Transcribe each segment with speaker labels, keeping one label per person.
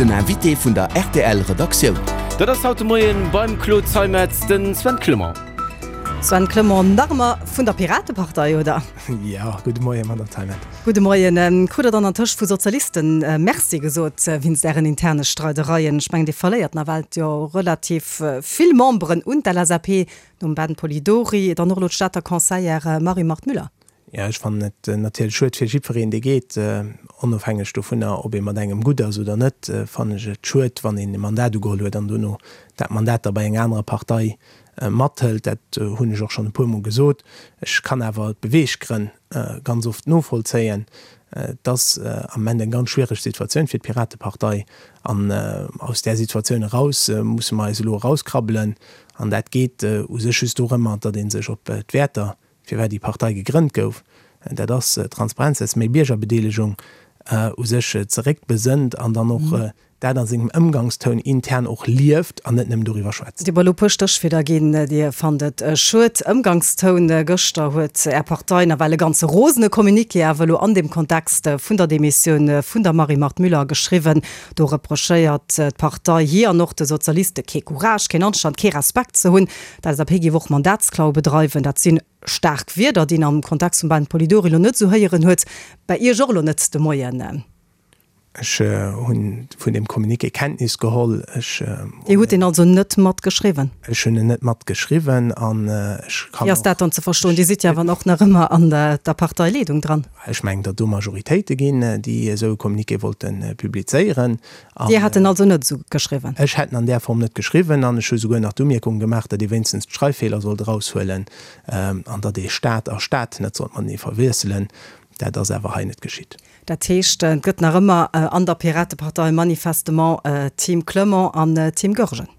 Speaker 1: Den Invité vun der rtl Redaktioun.
Speaker 2: Dat ass haut de Moien beim Claude Zeimetz den Sven Clement.
Speaker 3: Sven Clement, nach ëmmer vun der Piratepartei, oder?
Speaker 4: Jo, gudde Moien, Madame Zeimetz.
Speaker 3: Gudde Moien. Krut der dann antëscht vu Sozialisten Merci gesot wéinst Ären interne Streidereien? Ech mengen, Dir verléiert nawell jo relativ vill Memberen un d'LSAP, nom Ben Polidori, dann och elo d'Stater Conseillère Marie-Marthe Müller.
Speaker 4: Jo, ech fannen et natierlech schued fir jiddwereen, dee geet. Onofhängeg dovunner, ob ee mat engem gutt ass oder net, fannen ech et schued, wann een e Mandat ugeholl huet an dono dat Mandat da bei enger anerer Partei mathëlt. Dat hunn ech och schonn e puermol gesot. Ech kann awer d'Beweeggrënn ganz oft novollzéien. Et ass am Moment eng ganz schwiereg Situatioun fir d'Piratepartei. An aus där Situatioun eraus musse mer eis elo erauskrabbelen. An dat geet u sech just dorëmmer, datt ee sech op d'Wäerter firwat déi Partei gegrënnt gouf, dat ass Transparenz, dat ass méi Biergerbedeelegung, u sech zeréckbesënnt an dann och dat a sengem Ëmgangstoun intern och lieft an net nëmmen doriwwer schwätzt.
Speaker 3: Dir hutt elo e puer Stéchwierder ginn. Dir fannt et schued. Ëmgangstoun, Gëschter huet Är Partei nawell e ganze rosene Communiqué awer elo an deem Kontext vun der Demissioun vun der Marie-Marthe Müller geschriwwen. Do reprochéiert d'Partei hir an och de Sozialiste kee Courage, keen Anstand, kee Respekt ze hunn. D'LSAP géif och Mandatsklau bedreiwen. Dat si staark Wierder, déi een am Kontext vum Ben Polidori elo net esou héieren huet. Bäi Iech och elo net de Moien.
Speaker 4: Ech hu vun deem Communiqué Kenntnis geholl. Ech.
Speaker 3: Dir hutt deen also net matgeschriwwen?
Speaker 4: Ech hunn en net matgeschriwwen an ech
Speaker 3: kann och. Wéi ass dat dann ze verstoen? Dir sidd jo awer och nach ëmmer an der Parteileedung dran.
Speaker 4: Ech mengen, datt do Majoritéite ginn, déi esou e Communiqué wollte publizéieren.
Speaker 3: Dir hätt en also net esou geschriwwen?
Speaker 4: Ech hätt en an där Form net geschriwwen an ech hu souguer nach d'Umierkung gemaach, datt ee wéinstens d'Schreiffeeler sollt eraushuelen an datt ee Staat a Stad net sollt matenee verwiesselen. Dat ass awer hei net geschitt.
Speaker 3: Dat heescht, et gëtt nach ëmmer an der Piratepartei manifestement Team Clement an Team Goergen?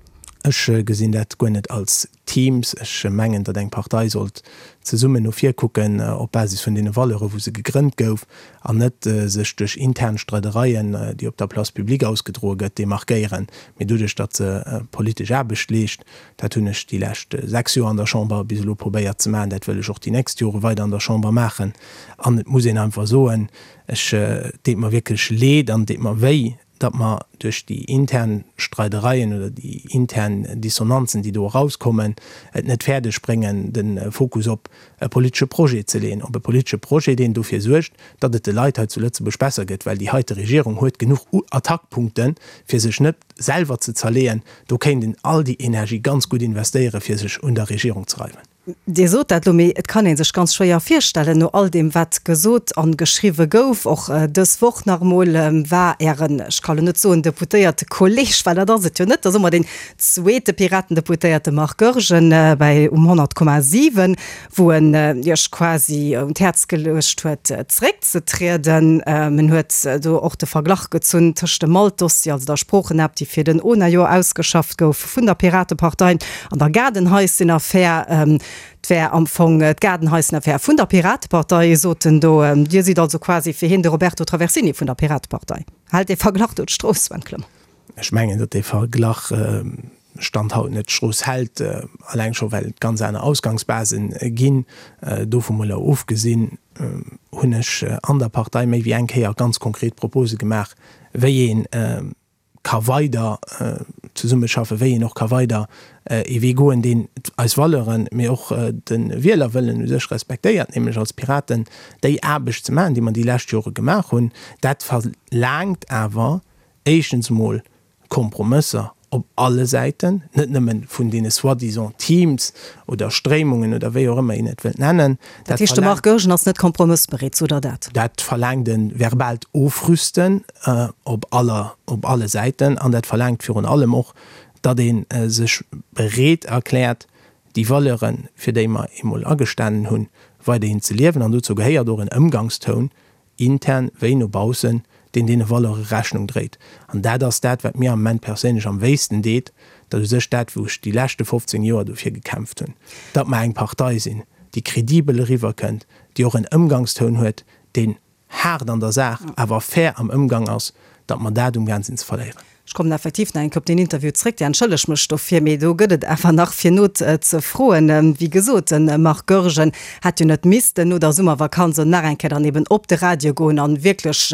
Speaker 4: Ech gesinn dat guer net als Teams. Ech mengen, datt eng Partei sollt zesummen no vir kucken op Basis vun deene Valeure wou se gegrënnt gouf, an net sech duerch intern Streidereien, déi op der Place publique ausgedroe gëtt, demarkéieren, mee doduerch, datt se politesch Aarbecht leescht. Dat hunn ech déi lescht 6 Joer an der Chamber bis elo probéiert ze maachen, dat wëll ech och déi nächst Jore weider an der Chamber maachen. An et muss een einfach soen, ech, et deet mer wierklech leed an et deet mer wéi, datt mer duerch déi intern Streidereien oder déi intern Dissonanzen, déi do erauskommen, et net fäerdeg bréngen, de Fokus op e politesche Projet ze leeën, op e politesche Projet, deen dofir suergt, datt et de Leit hei zu Lëtzebuerg besser gëtt, well déi heite Regierung huet genuch Attackpunkten, fir sech net selwer ze zerleeën. Do kéint een all déi Energie ganz gutt investéieren, fir sech un der Regierung ze reiwen.
Speaker 3: Dir sot dat elo, mee et kann ee sech ganz schwéier virstellen, no all deem wat gesot an geschriwwe gouf, och dës Woch nach emol, war Ären, ech ka lo net soen deputéierte Kolleg, well dat ass et jo net, da soe mer deen zweete Piratendeputéierte Marc Goergen bäi um 100,7, wou en Iech quasi un d'Häerz geluecht huet zeréckzetrieden. En huet do och de Verglach gezunn tëscht dem Malt-Dossier, also der Sproochenapp, déi fir den ONA-Joer ausgeschafft gouf, vun der Piratepartei an der Gaardenhaissenaffär. Et wär am Fong d'Gaardenhaissenaffär vun der Piratepartei, sot en do. Dir sidd also quasi fir hien de Roberto Traversini vun der Piratepartei. Hält dee Verglach do d'Strooss, Sven Clement?
Speaker 4: Ech mengen, datt dee Verglach Stand haut net d'Strooss hält, alleng scho well et ganz aner Ausgangsbase ginn. Dovu mol ofgesinn hunn ech an der Partei méi wéi eng Kéier ganz konkret Propose gemaach, wéi een ka weider zesummeschaffen, wéi een och ka weider ee Wee goen, deen eis Valeuren, mee och de Wielerwëllen u sech respektéiert, nämlech als Piraten déi Aarbecht ze maachen, déi mer déi lescht Jore gemaach hunn. Dat verlaangt awer éischtens emol Kompromësser op alle Säiten, net nëmme vun deene soi-disant Teams oder Stréimungen oder wéi och ëmmer een et wëllt nennen.
Speaker 3: Dat heescht, de Marc Goergen ass net kompromëssbereet, sot Der dat?
Speaker 4: Dat verlaangt e verbaalt Ofrüsten op aller, op alle Säiten an dat verlaangt virun allem och, datt ee sech bereet erkläert, déi Valeuren, fir déi mer eemol agestanen hunn, weiderhin ze liewen. An dozou gehéiert och en Ëmgangstoun, intern wéi no baussen, deen deene Valeure Rechnung dréit. An dat ass dat, wat mir am Moment perséinlech am wéisten deet, dat u sech dat, wou ech déi leschte 15 Joer dofir gekämpft hunn, datt mer eng Partei sinn, déi credibel eriwwerkënnt, déi och en Ëmgangstoun huet, deen haart an der Saach, awer fair am Ëmgang ass, datt mer dat umgaang sinn ze verléieren.
Speaker 3: Ech kommen effektiv nach eng Kéier op deen Interview zréck. Dir entschëllegt mech dofir, mee do gëtt et awer nach fir no ze froen. Wéi gesot, de Marc Goergen hätt jo net missten no der Summervakanz an nach eng Kéier dann eben op de Radio goen an wierklech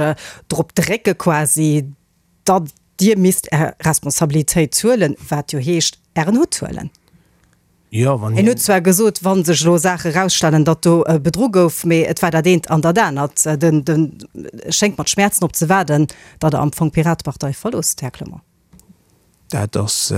Speaker 3: drop drécke quasi, datt. Dir misst Är Responsabilitéit huelen, wat jo heescht, Ären Hutt huelen.
Speaker 4: Jo, wann
Speaker 3: hien. En huet zwar gesot, wa sech elo Saache erausstellen, datt do bedru gouf, mee et war dat eent an dat anert. Den, den schéngt mat Schmäerzen op ze waarden, datt Der am Fong d'Piratepartei verloosst, Här Clement.
Speaker 4: Dat ass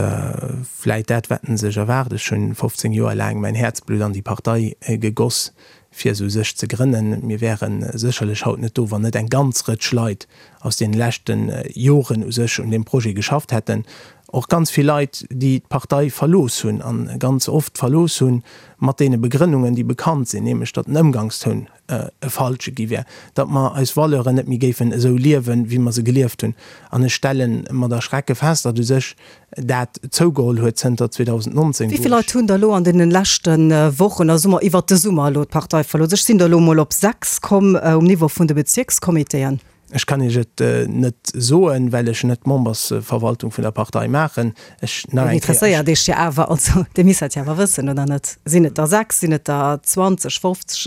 Speaker 4: vläit dat, wat en sech erwaart. Ech hunn 15 Joer laang mäin Häerzblutt an déi Partei gegoss, fir se u sech ze grënnen. Mir wäre sécherlech haut net do, wann net eng ganz Rëtsch Leit aus deene leschte Joren u sech un deem Projet geschafft hätten. Och ganz vill Leit, déi d'Partei verlooss hunn a ganz oft verlooss hunn mat deene Begrënnungen, déi bekannt sinn, nämlech datt den Ëmgangstoun e falsche gi wär, datt mer eis Valeuren net méi géifen esou liewen, wéi mer se gelieft hunn. An ech stelle mat Erschrecke fest, datt u sech dat zougeholl huet zënter 2019,
Speaker 3: wou ech. Wéi vill Leit hunn der elo an deene leschte Wochen, also soe mer iwwert de Summer elo, d'Partei verlooss? Ech sinn der elo emol op 6 komm um Niveau vun de Bezierkscomitéen.
Speaker 4: Ech kann Iech et net soen, well ech net d'Membersverwaltung vun der Partei maachen. Ech,
Speaker 3: nach eng Kéier, ech. Interesséiert Iech jo awer, also Dir misst dat jo awer wëssen, oder net? Sinn et der 6, sinn et der 20, 50?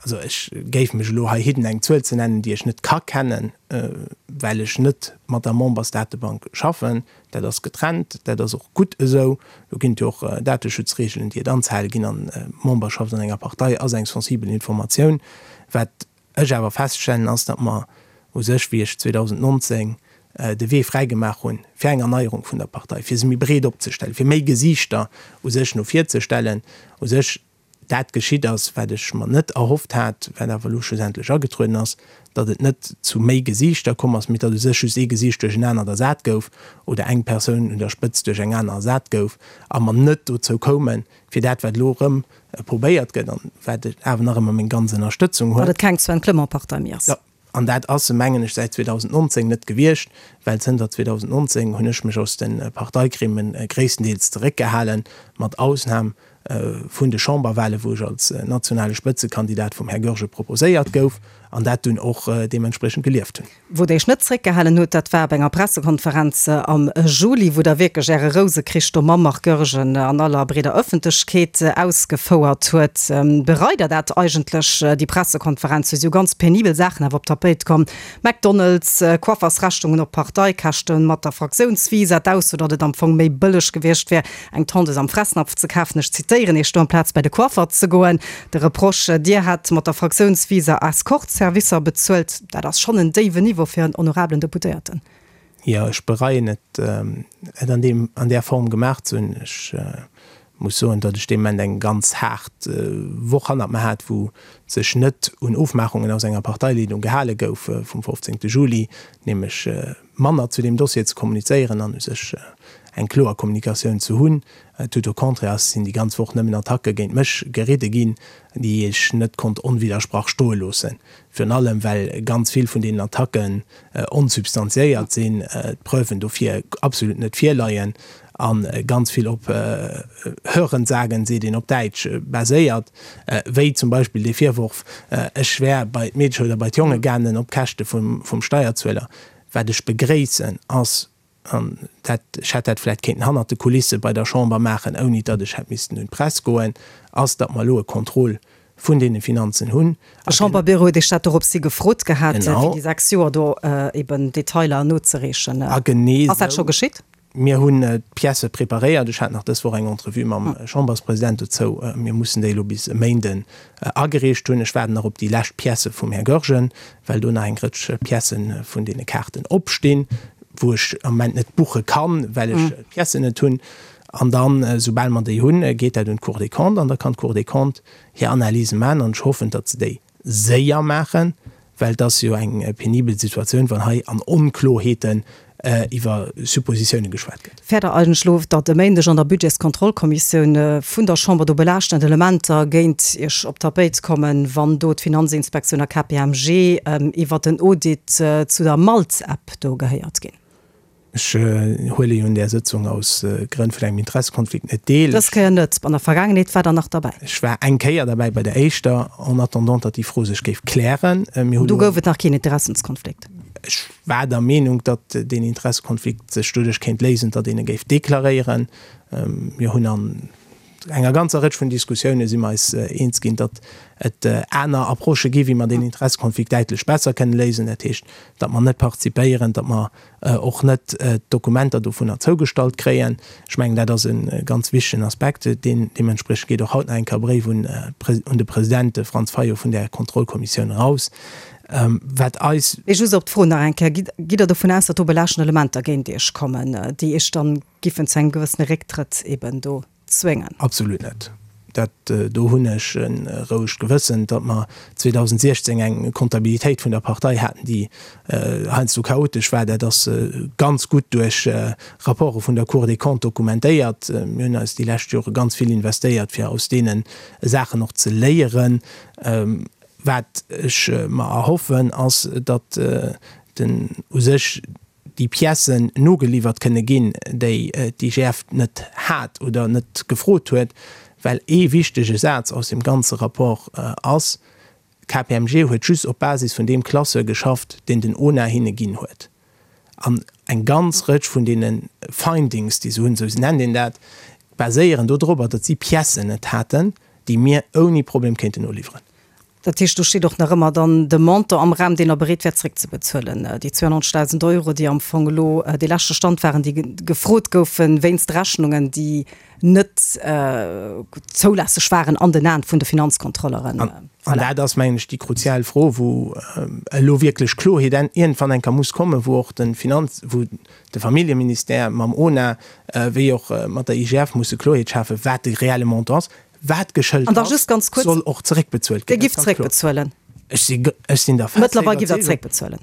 Speaker 4: Also ech géif mech elo hei hidden eng Zuel ze nennen, déi ech net ka kennen, well ech net mat der Membersdatebank schaffen. Dat ass getrennt, dat ass och gutt esou. Do ginn et jo och Dateschutzregeln, déi et anzehale ginn an d'Memberschaft an enger Partei ass eng sensibel Informatioun. Wat ech awer feststellen, ass, datt mer u sech, wéi ech 2019 de Wee fräigemaach hunn fir eng Erneierung vun der Partei, fir se méi breet opzestellen, fir méi Gesiichter u sech no vir ze stellen, u sech dat geschitt ass, wat ech mer net erhofft hat, wat awer elo schlussendlech agetrueden ass, datt et net zu méi Gesiichter komm ass, mee datt u sech just ee Gesiicht duerch en anert ersat gouf oder eng Persoun un der Spëtzt duerch eng aner ersat gouf a mer net dozou koumen, fir dat, wat elo erëm probéiert gëtt an wat awer nach ëmmer meng ganz Ënnerstëtzung huet.
Speaker 3: Datt et keng Sven Clement-Partei méi ass.
Speaker 4: Jo, an dat ass se, mengen ech, säit 2019 net gewiescht, well zënter 2019 hunn ech mech aus de Parteigremien gréisstendeels zeréckgehalen, mat Ausnam vun de Chamberwahlen, wou ech als nationale Spëtzekandidat vum Här Goergen proposéiert gouf an dat dunn och deementspriechend gelieft hunn.
Speaker 3: Wou Der Iech net zréckgehalen hutt, dat war op enger Pressekonferenz am Juli, wou Der wierklech Äre Rousekrich do mam Marc Goergen an aller breeder Ëffentlechkeet ausgefouert huet. Bereit Der dat eigentlech, déi Pressekonferenz? Do si jo ganz penibel Saachen awer op d'Tapéit komm, McDonald's, Coiffersrechnungen op Parteikäschten mat der Fraktiounsvisa, d'Ausso, datt et am Fong méi bëlleg gewiescht wär, eng Tondeuse am Fressnapf ze kafen, ech zitéieren Iech do, amplaz bei de Coiffer ze goen. De Reproche, Dir hätt mat der Fraktiounsvisa Escortservicer bezuelt, dat ass schonn en déiwen Niveau fir en honorabelen Deputéierten.
Speaker 4: Jo, ech bereien et, et an deem, an där Form gemaach ze hunn. Ech muss soen, datt ech dee Moment eng ganz haart Woch hannert mer hat, wou sech net un Ofmaachungen aus enger Parteileedung gehale gouf vum 15. Juli, nämlech manner zu deem Dossier ze kommunizéieren an u sech eng kloer Kommunikatioun ze hunn. Tout au contraire, ass sinn déi ganz Woch nëmmen Attacke géint mech geridde ginn, déi ech net konnt onwiddersprach stoe loossen. Virun allem well ganz vill vun deenen Attacken onsubstantiéiert sinn, d'Preuven dofir absolut net virleien a ganz vill op Hörensagen, seet een op Däitsch, baséiert, wéi zum Beispill dee Virworf, ech wär bei d'Meedche oder bei d'Jonge gaangen op Käschte vum Steierzueler. Wat ech begréissen, ass, an dat, ech hätt dat vläicht kéinten hannert de Kulisse bei der Chamber maachen, ouni datt ech hätt missten un d'Press goen, ass, datt mer elo e Contrôle vun deene Finanzen hunn.
Speaker 3: De Chamberbüro huet Iech dat dorops hi gefrot gehat, fir déi 6 Joer do eben Detailer nozereechen.
Speaker 4: A genee
Speaker 3: Ass dat scho geschitt?
Speaker 4: Mir hunn d'Piècë preparéiert. Ech hat nach dës Woch eng Entrevue mam Chamberspresident dozou. Mir mussen déi elo bis e Méinden agereecht hunn. Ech waarden nach op déi lescht Piècë vum Här Goergen, well do nach eng Rëtsch Piècë vun deene Kaarten opstinn, wou ech am Moment net buche kann, well ech d'Piècen net hunn. An dann, soubal mer déi hunn, geet dat un d'Cour des Comptes an da kann d'Cour des Comptes hir Analyse maachen. An ech hoffen, datt se déi séier maachen, well et ass jo eng penibel Situatioun, wann hei an Onkloheeten iwwer Suppositiounen geschwat gëtt.
Speaker 3: Fäert Der eigentlech elo, datt e Méindeg an der Budgetskontrollkommissioun vun der Chamber do belaaschtend Elementer géint Iech op d'Tapéit kommen, wann do d'Finanzinspektioun a KPMG iwwert den Audit zu der Malt-App do gehéiert ginn?
Speaker 4: Ech huele jo un där Sëtzung aus Grënn vun engem Interessekonflikt net deel.
Speaker 3: Dës Kéier net. An der Vergaangenheet war Der nach derbäi.
Speaker 4: Ech war eng Kéier derbäi bei der éischter, en attendant datt déi Fro sech géif klären.
Speaker 3: Mir hu Do gouf et nach keen Interessenskonflikt.
Speaker 4: Ech war der Meenung, datt deen Interessekonflikt sech doduerch kéint léisen, datt een e géif deklaréieren. Mir hunn an. enger ganzer Rëtsch vun Diskussioune si mer eis eens ginn, datt et aner Approchë gi wéi mer deen Interessekonflikt däitlech besser kënnen léisen. Dat heescht, datt mer net participéieren, datt mer och net d'Dokumenter dovunner zougestallt kréien. Ech mengen, dat ass e ganz wichtegen Aspekt. Deen, deementspriechend geet och haut nach eng Kéier e Bréif un un de President Franz Fayot vun där Kontrollkommissioun eraus. Wat eis.
Speaker 3: Mee just op d'Fro nach eng Kéier, Gitt Der dovun aus, datt do belaaschtend Elementer géint Iech kommen, déi Iech dann giffen zu engem gewëssene Récktrëtt eben do zwéngen?
Speaker 4: Absolut net. Dat do hunn ech e rouegt Gewëssen, datt mer 2016 eng Comptabilitéit vun der Partei haten, déi heiansdo chaotesch war. Dat ass ganz gutt duerch Rapporte vun der Cour des Comptes dokumentéiert. Mir hunn eis déi lescht Jore ganz vill investéiert, fir aus deene Saachen och ze léieren. Wat ech mer erhoffen, ass, datt den u sech déi Piècen nogeliwwert kënne ginn, déi d'IGF net hat oder net gefrot huet, well ee wichtege Saz aus deem ganze Rapport ass, KPMG huet just op Basis vun deem Classeur geschafft, deen den ONA hinne ginn huet. An eng ganz Rëtsch vun deene Findings, déi se hunn, esou nennt een dat, baséieren dodropper, datt si Piècen net haten, déi mir ouni Problem kéinten noliwweren.
Speaker 3: Dat heescht, do steet och nach ëmmer dann de Montant am Raum, deen Der bereet wäert zréckzebezuelen, déi 92.000 Euro, déi am Fong elo dee leschte Stand waren, déi gefrot goufen wéinst Rechnungen, déi net zoulässeg waren an den Aen vun de Finanzkontrolleren.
Speaker 4: An dat ass, mengen ech, déi kruzial Fro, wou elo wierklech Kloerheet iergendwann eng Kéier muss kommen, wou och de Finanz-, wou de Familljeministère mam ONA wéi och mat der IGF musse Kloerheet schafen, wat de reelle Montant ass. Wat geschëlt
Speaker 3: An da just
Speaker 4: ass,
Speaker 3: ganz kuerz,
Speaker 4: soll och zeréckbezuelt
Speaker 3: Dir ginn. Dat giff ass ganz kloer. zeréckbezuelen?
Speaker 4: Ech si, ech sinn der
Speaker 3: fester Mëttlerweil giff Der Iwwerzeegung. zeréckbezuelen.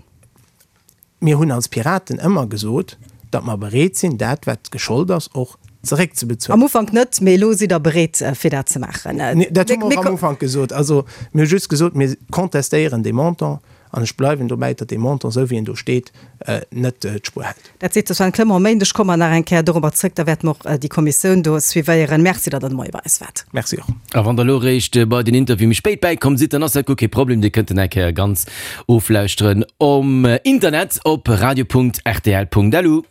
Speaker 4: Mir hunn als Piraten ëmmer gesot, datt mer bereet sinn, dat, wat geschollt ass, och zeréckzebezuelen.
Speaker 3: Am Ufank net, mee elo sidd Der bereet, fir dat ze maachen.
Speaker 4: Nee, dat hu mer och am Ufank gesot. Also, mir hu just gesot, mir contestéieren dee Montant. An ech bleiwen dobäi, datt dee Montant, esou wéi en do steet, net d'Spuer hält.
Speaker 3: Dat seet de Sven Clement. E Méindeg komme mer nach eng Kéier dorobber zrëck. Da wäerte mer och déi Kommissioun do suivéieren. Merci, datt Der de Moie bei eis waart.
Speaker 4: Merci och.
Speaker 2: A wann Der elo eréischt bei den Interview méi spéit bäikomm sidd, dann ass dat guer kee Problem. Dir kënnt en eng Kéier ganz oflauschteren um Internet op radio.rtl.lu.